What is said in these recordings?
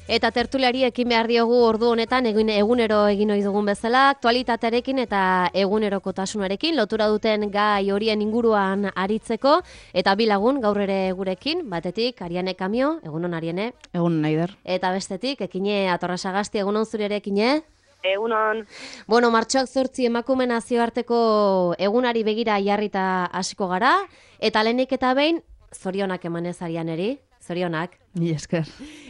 Eta tertuliari ekin behar diogu ordu honetan egunero egin ohi dugun bezala, aktualitatearekin eta egunerokotasunarekin lotura duten gai horien inguruan aritzeko, eta bi lagun gaur ere gurekin, batetik Ariane Kamio, egunon Ariane. Egun Naider. Eta bestetik Ekine Atorrasagasti, egunon zure ere Ekine. Egunon. Bueno, martxoak 8 emakume nazioarteko egunari begira jarrita hasiko gara, eta lehenik eta behin zorionak emanez Arianeri. Zorionak. Ni esker.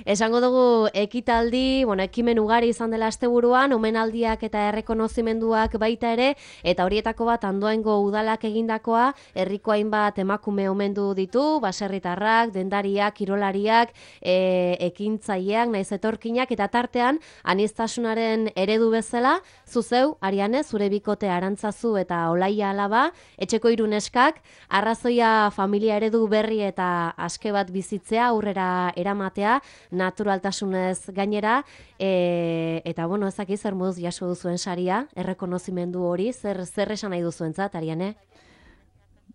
Esango dugu ekitaldi, ekimen ugari izan dela asteburuan, omenaldiak eta errekonozimenduak baita ere, eta horietako bat Andoaingo udalak egindakoa, herriko hainbat emakume omendu ditu, baserritarrak, dendariak, kirolariak, ekintzaileak, naiz etorkinak, eta tartean aniztasunaren eredu bezala, zuzeu, Ariane, zure bikote Arantzazu eta Olaia alaba, etxeko 3 neskak, arrazoia familia eredu berri eta aske bat bizitzea, aurrera eramatea, naturaltasunez gainera, eta ezaki zer moduz jaso duzuen saria, errekonozimendu hori, zer esan nahi duzuentzat, Ariane?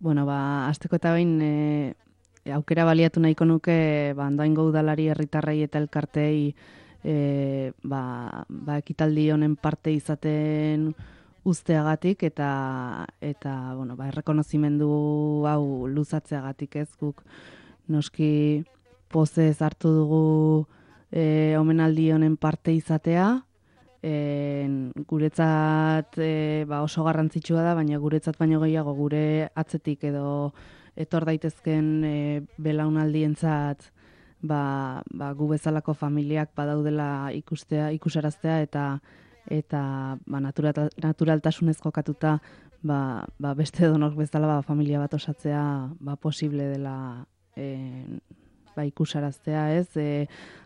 Hasteko eta behin aukera baliatu nahiko nuke Andoaingo udalari, herritarrei eta elkartei ekitaldi honen parte izaten uzteagatik eta errekonozimendu hau luzatzeagatik, ez guk noski pozez hartu dugu omenaldi honen parte izatea. Guretzat oso garrantzitsua da, baina guretzat baino gehiago gure atzetik edo etor daitezken belaunaldientzat gu bezalako familiak badaudela ikusaraztea eta naturaltasunez jokatuta beste edonok bezala familia bat osatzea posible dela ikusaraztea, ez?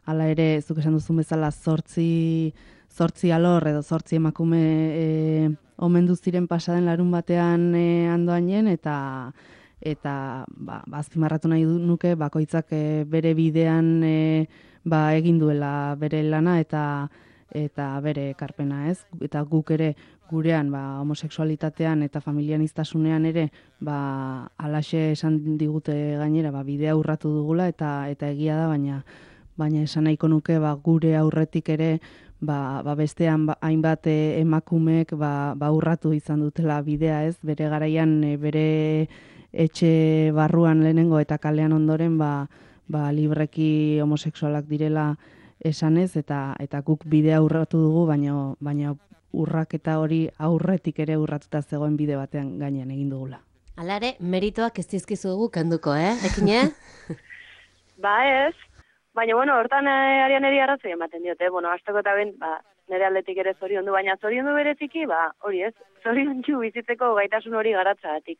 Hala ere, zuk esan duzun bezala 8 alor edo 8 emakume omendu ziren pasaden larun batean Andoainen eta azpimarratu nahi nuke bakoitzak bere bidean egin duela bere lana eta bere ekarpena, ez? Eta guk ere gurean homosexualitatean eta familianiztasunean ere halaxe esan digute gainera bidea urratu dugula eta egia da, baina esan nahiko nuke gure aurretik ere bestean hainbat emakumeek urratu izan dutela bidea, ez? Bere garaian bere etxe barruan lehenengo eta kalean ondoren libreki homosexualak direla esanez eta guk bidea urratu dugu, baina urraketa hori aurretik ere urratuta zegoen bide batean gainean egin dugula. Hala ere, meritoak ez dizkizu dugu kenduko, Ekine? Ez, baina hortan Arianeri arrazoi ematen diote, hasteko eta ben, nire aldetik ere zoriondu, baina zoriondu bereziki, hori ez, zoriontsu bizitzeko gaitasun hori garatzagatik.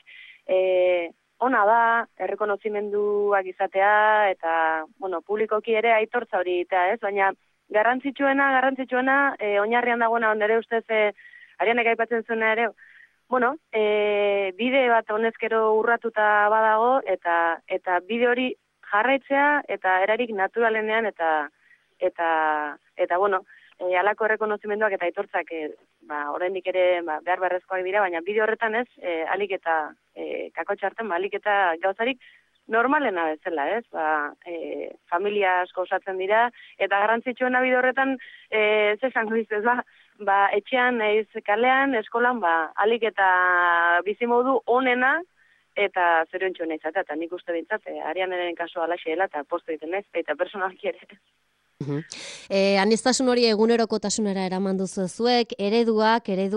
Ona da, errekonozimenduak izatea, eta, publikoki ere aitortza hori eta ez, baina garrantzitsuena, oinarrian dagoena ondere ustez, Arianek aipatzen zuena ere, bide bat honezkero urratuta badago, eta bide hori jarraitzea, eta erarik naturalenean, eta halako errekonozimenduak eta aitortzak, oraindik ere behar beharrezkoak dira, baina bide horretan ez, alik eta kakotxarten, alik eta gauzarik, normalena bezala, ez? Familia asko osatzen dira, eta garrantzitsuena bide horretan, zesango izuz, etxean, kalean, eskolan, alik eta bizimodu onena, eta zoriontsuena izatea, eta nik uste bintzat, Arianeren kasua alaxe dela, eta posto egiten ez, eta personalki ere. Aniztasun hori egunerokotasunera eraman duzu zuek, eredu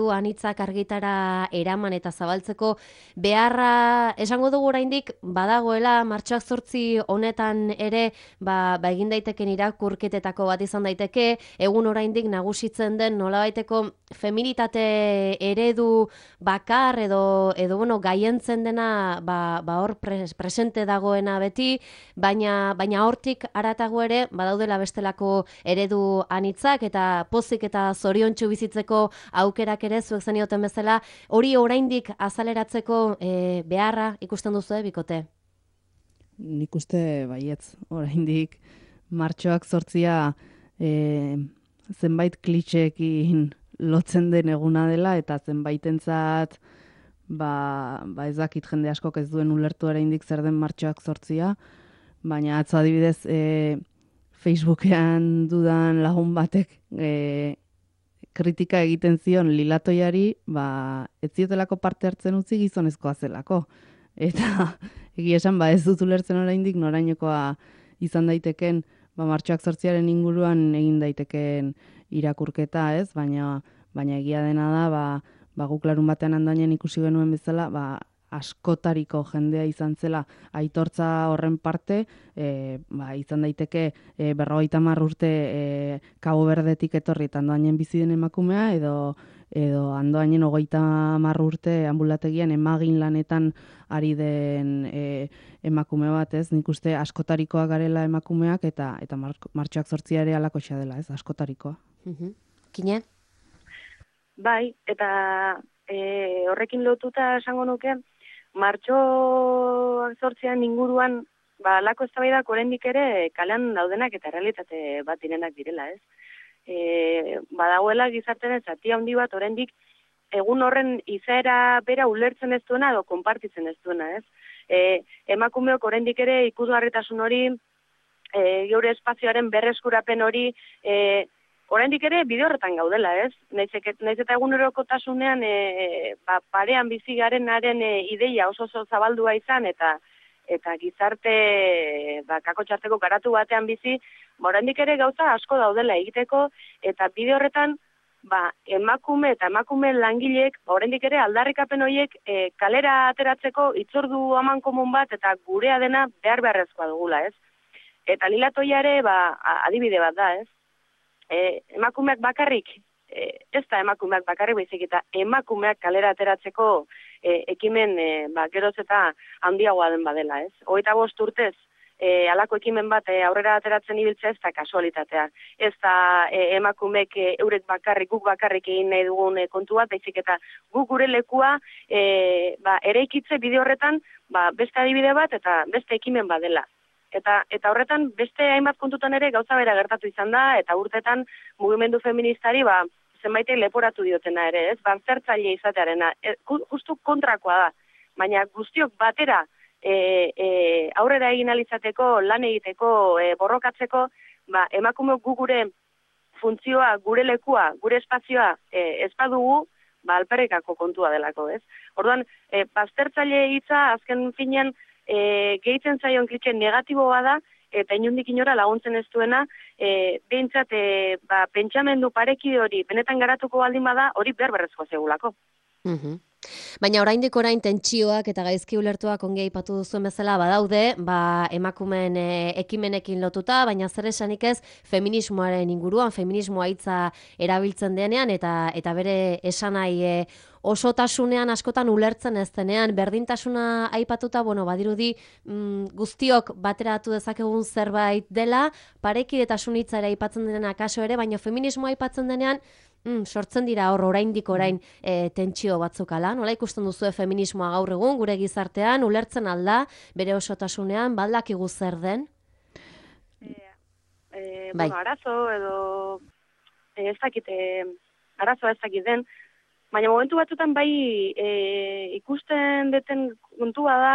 anitzak argitara eraman eta zabaltzeko beharra, esango dugu oraindik badagoela, martxoak 8 honetan ere egin daiteken irakurketetako bat izan daiteke, egun oraindik nagusitzen den nolabaiteko feminitate eredu bakar edo gaientzen dena hor presente dagoena beti, baina hortik haratago ere badaudela bestelako eredu anitzak eta pozik eta zoriontsu bizitzeko aukerak ere zuek zenioten bezala, hori oraindik azaleratzeko beharra ikusten duzu, bikote? Nik uste baietz, oraindik martxoak 8 zenbait klitxeekin lotzen den eguna dela eta zenbaitentzat ez dakit jende askok ez duen ulertu oraindik zer den martxoak 8, baina atzo adibidez Facebookean dudan lagun batek kritika egiten zion Lilatoiari, ez ziotelako parte hartzen utzi gizonezkoa zelako. Eta egia esan, ez dut ulertzen oraindik norainokoa izan daiteken, martxoak 8 inguruan egin daiteken irakurketa, ez? Baina egia dena da, guk larun batean Andoainen ikusi genuen bezala, askotariko jendea izan zela aitortza horren parte, izan daiteke 50 urte Cabo Verdetik etorri eta Andoainen bizi den emakumea, edo Andoainen 30 urte ambulategian emagin lanetan ari den emakume bat, ez? Nik uste askotarikoak garela emakumeak eta martxoak 8 ere alakoxa dela, ez? Askotarikoa. Kine? Bai, eta horrekin lotuta esango nuke, martxoak 8 inguruan, lako eztabaidak oraindik ere kalean daudenak eta realitate bat direnak direla, ez? Badagoela gizartean zati handi bat oraindik egun horren izaera bera ulertzen ez duena edo konpartitzen ez duena, ez? Emakumeok oraindik ere ikusgarritasun hori, geure espazioaren berreskurapen hori, oraindik ere bide horretan gaudela, ez? Naiz eta egunerokotasunean parean bizi garenaren ideia oso zabaldua izan eta gizarte kakotxarteko garatu batean bizi, oraindik ere gauza asko daudela egiteko eta bide horretan emakume eta emakume langileek oraindik ere aldarrikapen horiek kalera ateratzeko hitzordu amankomun bat eta gurea dena beharrezkoa dugula, ez? Eta Lilatoia ere adibide bat da, ez? Emakumeak bakarrik, ez da emakumeak bakarrik baizik eta emakumeak kalera ateratzeko ekimen geroz eta handiagoa den badela, ez? 25 urtez halako ekimen bat aurrera ateratzen ibiltzea ez da kasualitatea. Ez da emakumeek eurek bakarrik, guk bakarrik egin nahi dugun kontu bat, baizik eta guk gure lekua eraikitze bide horretan beste adibide bat eta beste ekimen bat dela. Eta horretan beste hainbat kontutan ere gauza bera gertatu izan da, eta urtetan mugimendu feministari zenbaitek leporatu diotena ere, ez? Baztertzaile izatearena, justu kontrakoa da, baina guztiok batera aurrera egin alizateko, lan egiteko, borrokatzeko, emakumeok gu gure funtzioa, gure lekua, gure espazioa ez badugu, alperrikako kontua delako, ez? Orduan, baztertzaile hitza azken finean gehitzen zaion klitxe negatiboa da, eta inundik inora laguntzen ez duena, behintzat pentsamendu parekide hori benetan garatuko baldin bada, hori berberrezkoa zegulako. Baina oraindik orain tentsioak eta gaizki ulertuak ongi aipatu duzuen bezala badaude, emakumeen ekimenekin lotuta, baina zer esanik ez feminismoaren inguruan, feminismoa hitza erabiltzen denean eta bere esanai osotasunean askotan ulertzen ez denean, berdintasuna aipatuta, badirudi guztiok bateratu dezakegun zerbait dela, parekidetasun hitza ere aipatzen denean akaso ere, baina feminismoa aipatzen denean sortzen dira oraindik orain tentsio batzuk ala. Nola ikusten duzue feminismoa gaur egun gure gizartean, ulertzen alda, bere osotasunean, baldakigu zer den? Arazo edo ez dakit, arazoa ez dakit den, baina momentu batzutan ikusten deten kontua da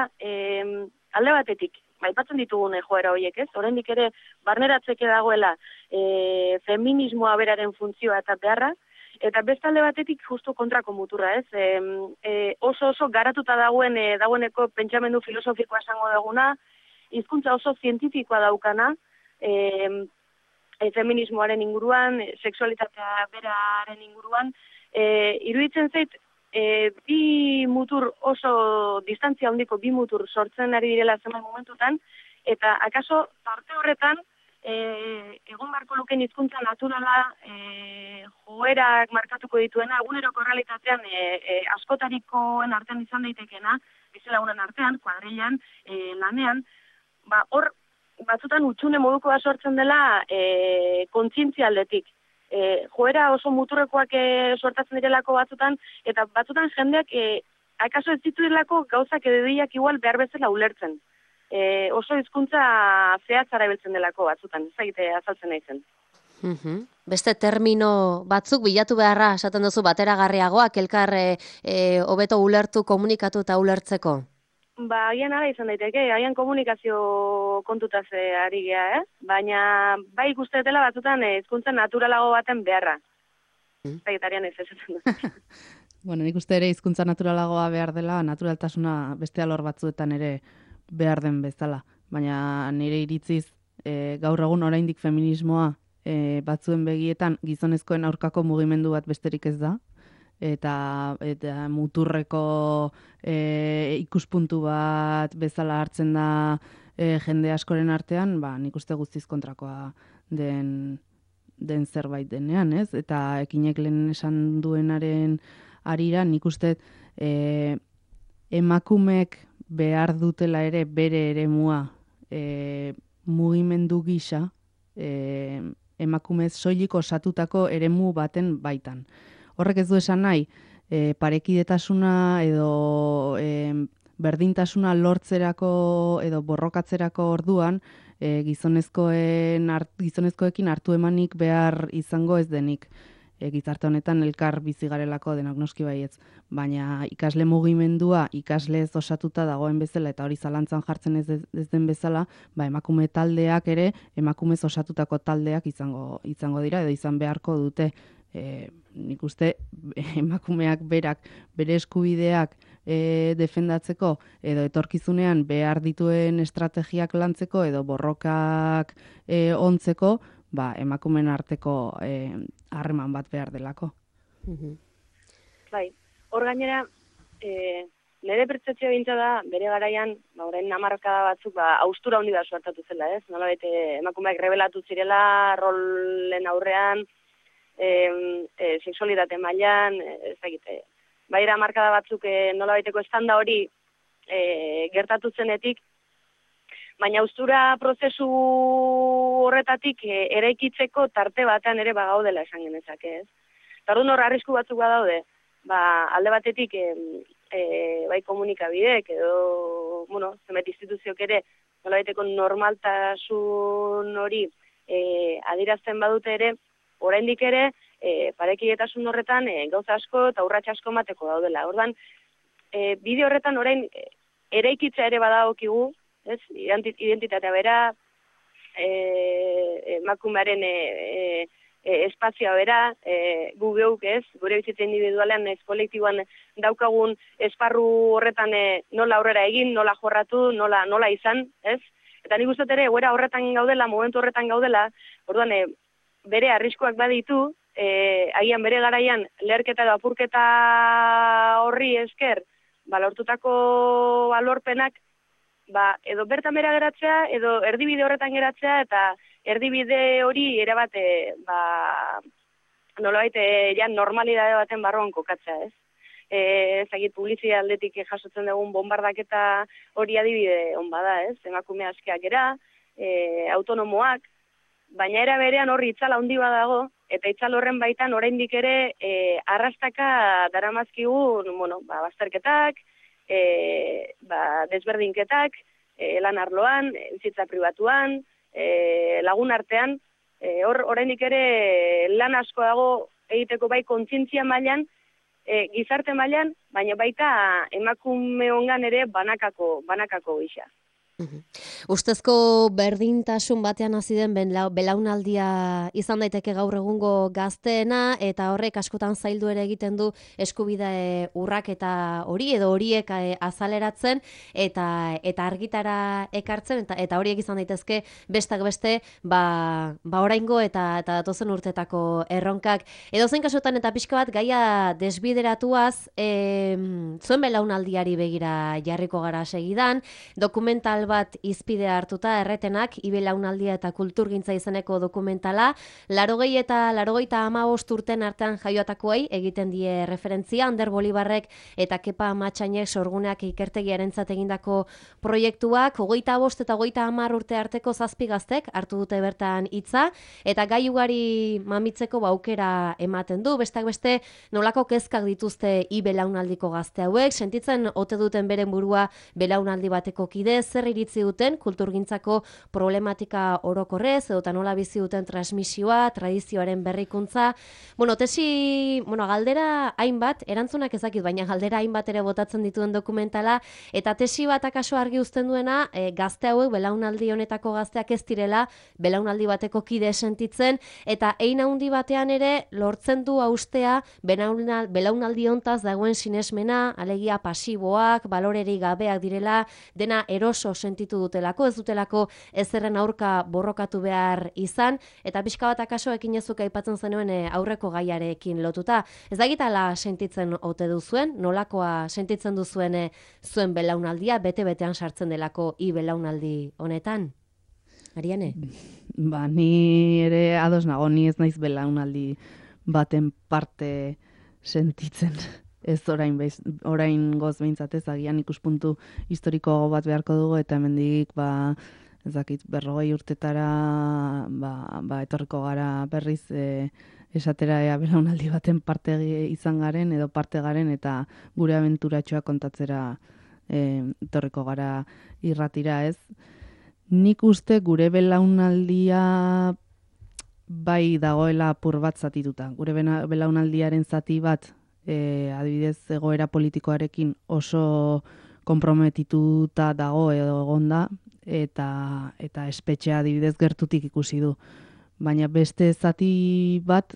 alde batetik, aipatzen ditugun joera horiek, ez? Oraindik ere barneratzeke dagoela feminismoa beraren funtzioa eta beharra, eta beste alde batetik justu kontrako muturra, ez? Oso garatuta dagoeneko pentsamendu filosofikoa esango duguna, hizkuntza oso zientifikoa daukana, feminismoaren inguruan, sexualitatea beraren inguruan, iruditzen zait, bi mutur oso distantzia handiko bi mutur sortzen ari direla zenbait momentutan, eta akaso tarte horretan egon barko luken hizkuntza naturala joerak markatuko dituena, eguneroko realitatean askotarikoen artean izan daitekena, bizilagunen artean, kuadrilan, lanean, hor batzutan utxune modukoa sortzen dela kontzientzia aldetik. Joera oso muturrekoak sortatzen direlako batzutan, eta batzutan jendeak akaso ez dituelako gauzak edediak igual behar bezala ulertzen. Oso hizkuntza zehatzara biltzen delako batzutan, ezagite azaltzen naizen. Beste termino batzuk bilatu beharra, esaten duzu bateragarriagoak, elkar hobeto ulertu, komunikatu eta ulertzeko? Ba, agian ala izan daiteke, agian komunikazio kontutaz ari gea, baina bai ikuste dela batzutan hizkuntza naturalago baten beharra. Zaitarian ez esaten dut. Bueno, nik uste ere hizkuntza naturalagoa behar dela, naturaltasuna beste alor batzuetan ere behar den bezala. Baina nire iritziz, gaur egun oraindik feminismoa batzuen begietan gizonezkoen aurkako mugimendu bat besterik ez da. Eta muturreko ikuspuntu bat bezala hartzen da jende askoren artean, ba, nik uste guztiz kontrakoa den zerbait denean, ez? Eta Ekinek lehen esan duenaren arira, nik uste emakumeek behar dutela ere bere eremua mugimendu gisa emakumez soilik osatutako eremu baten baitan. Horrek ez du esan nahi, parekidetasuna edo berdintasuna lortzerako edo borrokatzerako orduan gizonezkoekin hartu emanik behar izango ez denik. Gizarte honetan elkar bizi garelako denok noski baietz, baina ikasle mugimendua ikaslez osatuta dagoen bezala eta hori zalantzan jartzen ez den bezala, ba emakume taldeak ere emakumez osatutako taldeak izango dira edo izan beharko dute. Nik uste emakumeak berak bere eskubideak defendatzeko edo etorkizunean behar dituen estrategiak lantzeko edo borrokak ontzeko, ba, emakumeen arteko harreman bat behar delako. Bai, hor gainera, nire pertzepzioa bintza da, bere garaian, orain hamarkada batzuk, haustura handi bat suertatu zela, ez? Nolabait, emakumeak rebelatu zirela, rolen aurrean, sexualitate mailan, ez dakite. Baira hamarkada batzuk nolabaiteko estanda hori gertatu zenetik, baina haustura prozesu horretatik eraikitzeko tarte batean ere bagaudela esan genezake, ez? Tardun hor arrisku batzuk badaude, alde batetik bai komunikabideek edo, zenbait instituziok ere nolabaiteko normaltasun hori adierazten badute ere, oraindik ere parekidetasun horretan gauza asko eta urrats asko emateko daudela. Orduan, bide horretan orain eraikitzea ere badagokigu, ez? Identitatea bera, emakumearen espazioa bera, gu geuk, ez? Gure bizitza individualean, ez kolektiboan daukagun esparru horretan nola aurrera egin, nola jorratu, nola izan, ez? Eta nik uste ere, egoera horretan gaudela, momentu horretan gaudela, orduan, bere arriskuak baditu, agian bere garaian leherketa edo apurketa horri esker, lortutako lorpenak, edo bertan bera geratzea, edo erdibide horretan geratzea, eta erdibide hori ere bat, nolabait, normalidade baten barruan kokatzea, ez? Ezagit publizitate aldetik jasotzen dugun bombardaketa hori adibide on bada, ez? Emakume askeak era, autonomoak, baina era berean horri itzal handi badago, eta itzal horren baitan oraindik ere arrastaka daramazkigun, bazterketak, desberdinketak, lan arloan, bizitza pribatuan, lagun artean, hor oraindik ere lan asko dago egiteko bai kontzientzia mailan, gizarte mailan, baina baita emakumeongan ere banakako gisa. Ustezko berdintasun batean hasi den belaunaldia izan daiteke gaur egungo gazteena, eta horrek askotan zaildu ere egiten du eskubide urraketa hori edo horiek azaleratzen eta argitara ekartzen, eta horiek izan daitezke bestak beste oraingo eta datozen urtetako erronkak. Edozein kasutan eta pixka bat gaia desbideratuaz, zuen belaunaldiari begira jarriko gara segidan, dokumental bat izpide hartuta erretenak, Ibelaunaldia eta kulturgintza izeneko dokumentala, 80 eta 85 urten artean jaiotakoei egiten die referentzia, Ander Bolibarrek eta Kepa Amatxainek sorguneak ikertegiarentzat egindako proiektuak, 25 eta 30 urte arteko 7 gaztek hartu dute bertan hitza, eta gai ugari mamitzeko aukera ematen du, bestak beste nolako kezkak dituzte Ibelaunaldiko gazte hauek, sentitzen ote duten beren burua belaunaldi bateko kide, zer iritzi duten kulturgintzako problematika orokorrez, edo nola bizi duten transmisioa, tradizioaren berrikuntza. Galdera hainbat, erantzunak ezakit, baina galdera hainbat ere botatzen dituen dokumentala, eta tesi bat akaso argi uzten duena, gazte hauek, belaunaldi honetako gazteak ez direla, belaunaldi bateko kide sentitzen, eta hein handi batean ere lortzen du haustea belaunaldi hontaz dagoen sinesmena, alegia pasiboak, balorerik gabeak direla, dena eroso sentitu dutelako, ez dutelako ezerren aurka borrokatu behar izan, eta pixka bat akaso ekinezuk aipatzen zenuen aurreko gaiarekin lotuta. Ez dagitala sentitzen ote duzuen, nolakoa sentitzen duzuen zuen belaunaldia, bete-betean sartzen delako belaunaldi honetan? Ariane? Ni ere ados nago, ni ez naiz belaunaldi baten parte sentitzen. Ez orain goz behintzatez, agian ikuspuntu historiko bat beharko dugu, eta hemendik ezakit, 40 urtetara etorriko gara berriz esatera belaunaldi baten parte izan garen edo parte garen, eta gure abenturatxoa kontatzera etorriko gara irratira, ez? Nik uste gure belaunaldia bai dagoela apur bat zatituta. Gure belaunaldiaren zati bat, adibidez egoera politikoarekin oso konprometituta dago edo egonda, eta espetxea adibidez gertutik ikusi du. Baina beste zati bat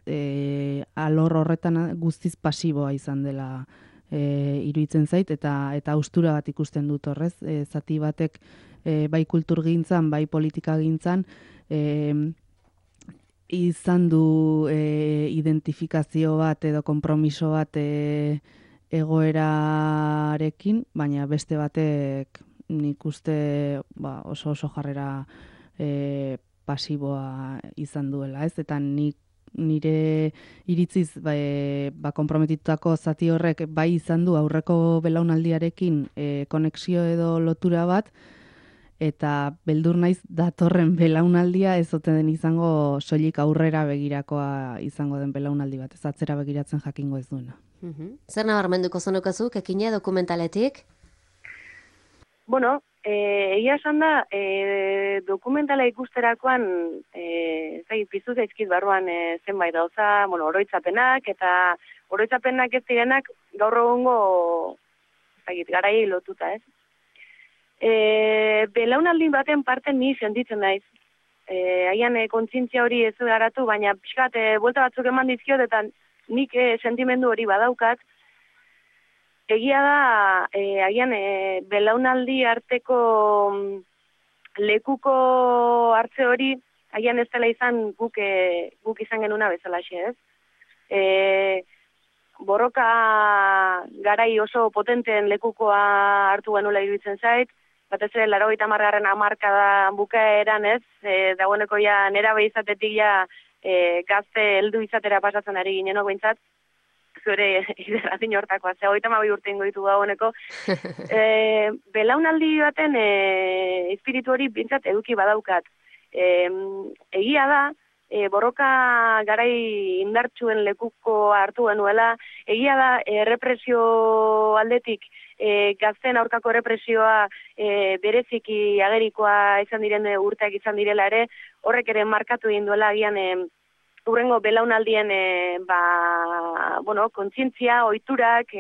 alor horretan guztiz pasiboa izan dela iruditzen zait, eta haustura bat ikusten dut horrez. Zati batek bai kulturgintzan, bai politikagintzan izan du identifikazio bat edo konpromiso bat egoerarekin, baina beste batek nik uste oso jarrera pasiboa izan duela, ez? Eta nire iritziz konprometitutako zati horrek bai izan du aurreko belaunaldiarekin konexio edo lotura bat, eta beldur naiz datorren belaunaldia ez ote den izango soilik aurrera begirakoa izango den belaunaldi bat, ez atzera begiratzen jakingo ez duena. Zer nabarmenduko zenukazu, ekine dokumentaletik? Egia esan da, dokumentala ikusterakoan piztu zaizkit barruan zenbait gauza, oroitzapenak, eta oroitzapenak ez direnak gaur egungo garaiei lotuta, ez? Belaunaldi baten parte ni sentitzen naiz. Haian kontzientzia hori ez garatu, baina pixkat buelta batzuk eman dizkiot, eta nik sentimendu hori badaukat. Egia da, haian belaunaldi arteko lekuko hartze hori, haian ez dela izan guk izan genuna bezalaxe, ez? Borroka garai oso potenteen lekukoa hartu genuela iruditzen zait, batez ere 80. hamarkada bukaeran, ez? Dagoeneko ja nerabe izatetik ja gazte heldu izatera pasatzen ari ginenok behintzat, zure ideratin hortakoa, 32 urte ingo ditu dagoeneko. Belaunaldi baten espiritu hori bintzat eduki badaukat. Egia da, borroka garai indartsuen lekuko hartu genuela, egia da, errepresio aldetik, gazten aurkako errepresioa bereziki agerikoa izan diren urteak izan direla ere, horrek ere markatu egin duela agian hurrengo belaunaldien kontzientzia, ohiturak,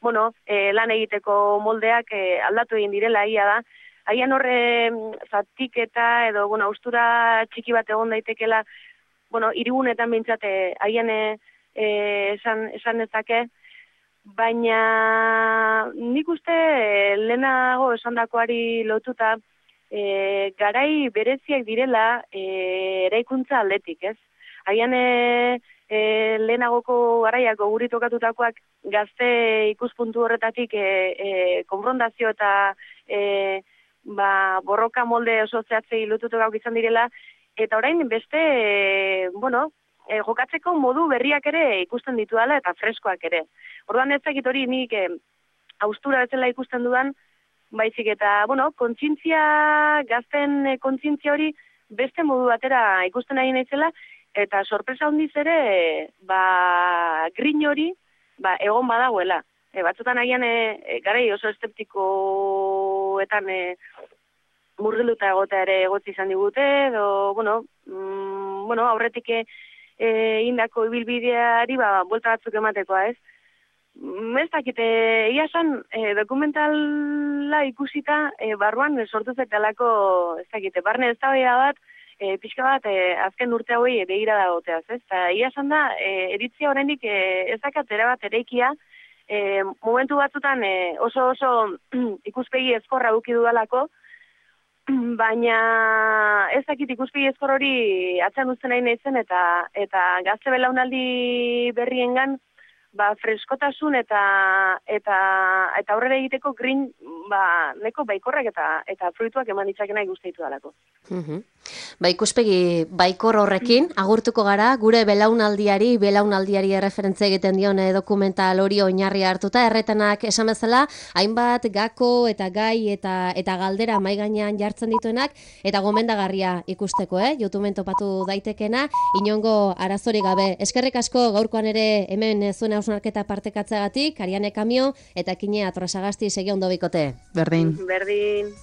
lan egiteko moldeak aldatu egin direla, egia da. Haian horre zatiketa edo haustura txiki bat egon daitekela, hirigunetan bintzat haian esan dezake, baina nik uste lehenago esandakoari lotuta garai bereziak direla eraikuntza aldetik, ez? Haian lehenagoko garaiak goguritokatutakoak gazte ikuspuntu horretatik konfrontazio eta borroka molde oso zehatzei lotutok izan direla, eta orain beste, jokatzeko modu berriak ere ikusten dituala eta freskoak ere. Orduan ez dakit hori nik haustura bezala ikusten dudan, baizik eta, kontzientzia, gazten kontzientzia hori beste modu batera ikusten nahi naizela, eta sorpresa handiz ere, grin hori, egon badagoela. Batzutan agian garai oso eszeptikoetan murgiluta egotea ere egotzi izan digute, edo, aurretik indako ibilbideari, buelta batzuk ematekoa, ez? Ez dakite, ia esan, dokumentala ikusita, barruan sortu zetalako, ez dakite, barne eztabaida bat, pixka bat, azken urte hauei begira dagoteaz, ez? Eta ia esan da, eritzia oraindik ez dakat erabat ereikia, momentu batzutan oso ikuspegi ezkorra eduki dudalako, baina ez dakit ikuspegi ezkor hori atzean uzten nahi naizen eta gazte belaunaldi berriengan freskotasun eta aurrera egiteko grin neko baikorrak eta fruituak eman ditzakena ikusten dalako. Ikuspegi baikor horrekin agurtuko gara, gure belaunaldiari erreferentzia egiten dion dokumental hori oinarri hartuta, erretenak esan bezala, hainbat gako eta gai eta galdera mahai gainean jartzen dituenak, eta gomendagarria ikusteko, YouTubeen topatu daitekena, inongo arazorik gabe. Eskerrik asko gaurkoan ere hemen zuen hausnarketa partekatzeagatik, Ariane Kamio eta Kine Atrasagasti segi ondo bikote. Berdin. Berdin.